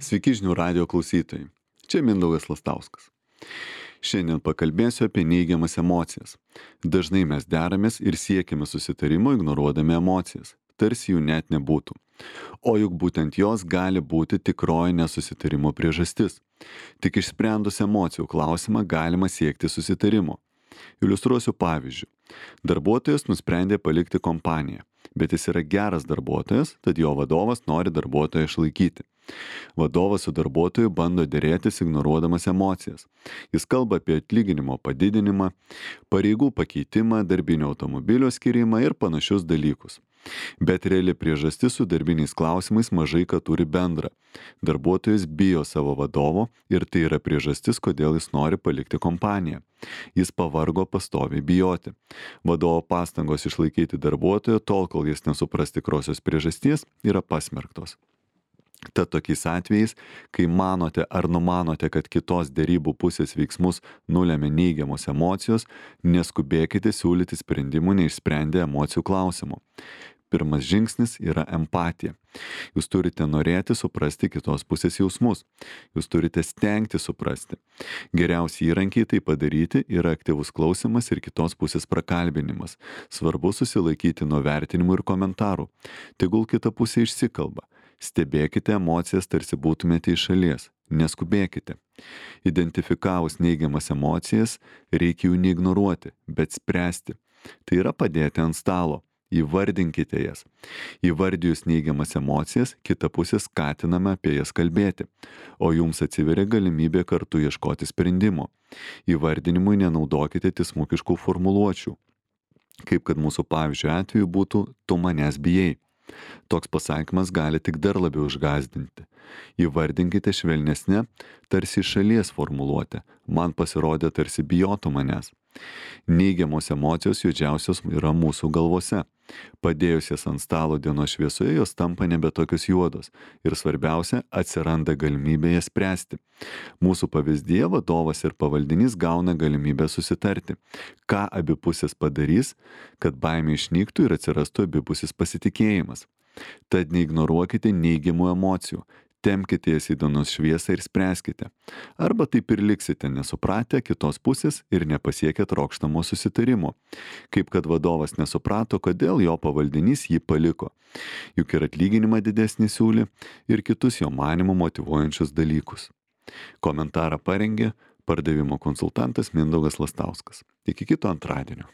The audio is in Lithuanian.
Sveiki žinių radijo klausytojai. Čia Mindaugas Lastauskas. Šiandien pakalbėsiu apie neigiamas emocijas. Dažnai mes deramės ir siekime susitarimo ignoruodami emocijas, tarsi jų net nebūtų. O juk būtent jos gali būti tikroji nesusitarimo priežastis. Tik išsprendus emocijų klausimą galima siekti susitarimo. Iliustruosiu pavyzdžiu. Darbuotojas nusprendė palikti kompaniją, bet jis yra geras darbuotojas, tad jo vadovas nori darbuotoją išlaikyti. Vadovas su darbuotoju bando derėtis ignoruodamas emocijas. Jis kalba apie atlyginimo padidinimą, pareigų pakeitimą, darbinio automobilio skirimą ir panašius dalykus. Bet reali priežastis su darbiniais klausimais mažai ką turi bendra. Darbuotojas bijo savo vadovo ir tai yra priežastis, kodėl jis nori palikti kompaniją. Jis pavargo pastoviai bijoti. Vadovo pastangos išlaikyti darbuotoją tol, kol jis nesupras tikrosios priežasties, yra pasmerktos. Tad tokiais atvejais, kai manote ar numanote, kad kitos derybų pusės veiksmus nulemia neigiamos emocijos, neskubėkite siūlyti sprendimų neišsprendę emocijų klausimų. Pirmas žingsnis yra empatija. Jūs turite norėti suprasti kitos pusės jausmus. Jūs turite stengti suprasti. Geriausi įrankiai tai padaryti yra aktyvus klausimas ir kitos pusės prakalbinimas. Svarbu susilaikyti nuo vertinimų ir komentarų. Tegul kita pusė išsikalba. Stebėkite emocijas, tarsi būtumėte iš šalies. Neskubėkite. Identifikavus neigiamas emocijas, reikia jų neignoruoti, bet spręsti. Tai yra padėti ant stalo. Įvardinkite jas. Įvardijus neigiamas emocijas, kita pusė skatiname apie jas kalbėti, o jums atsiveria galimybė kartu ieškoti sprendimo. Įvardinimui nenaudokite tiesmukiškų formuluočių, kaip kad mūsų pavyzdžio atveju būtų "tu manęs bijai". Toks pasakymas gali tik dar labiau išgąsdinti. Įvardinkite švelnesnę, tarsi iš šalies formuluotę. Man pasirodė, tarsi bijotų manęs. Neigiamos emocijos juodžiausios yra mūsų galvose. Padėjus jas ant stalo dienos šviesoje, jos tampa nebe tokios juodos. Ir svarbiausia, atsiranda galimybė jas spręsti. Mūsų pavyzdyje vadovas ir pavaldinys gauna galimybę susitarti. Ką abi pusės padarys, kad baimė išnyktų ir atsirastų abipusis pasitikėjimas. Tad neignoruokite neigiamų emocijų. Tempkite jas į dienos šviesą ir spręskite. Arba taip ir liksite nesupratę kitos pusės ir nepasiekę trokštamo susitarimo. Kaip kad vadovas nesuprato, kodėl jo pavaldinys jį paliko. Juk ir atlyginimą didesnį siūlė ir kitus jo manymų motyvuojančius dalykus. Komentarą parengė pardavimo konsultantas Mindaugas Lastauskas. Iki kito antradienio.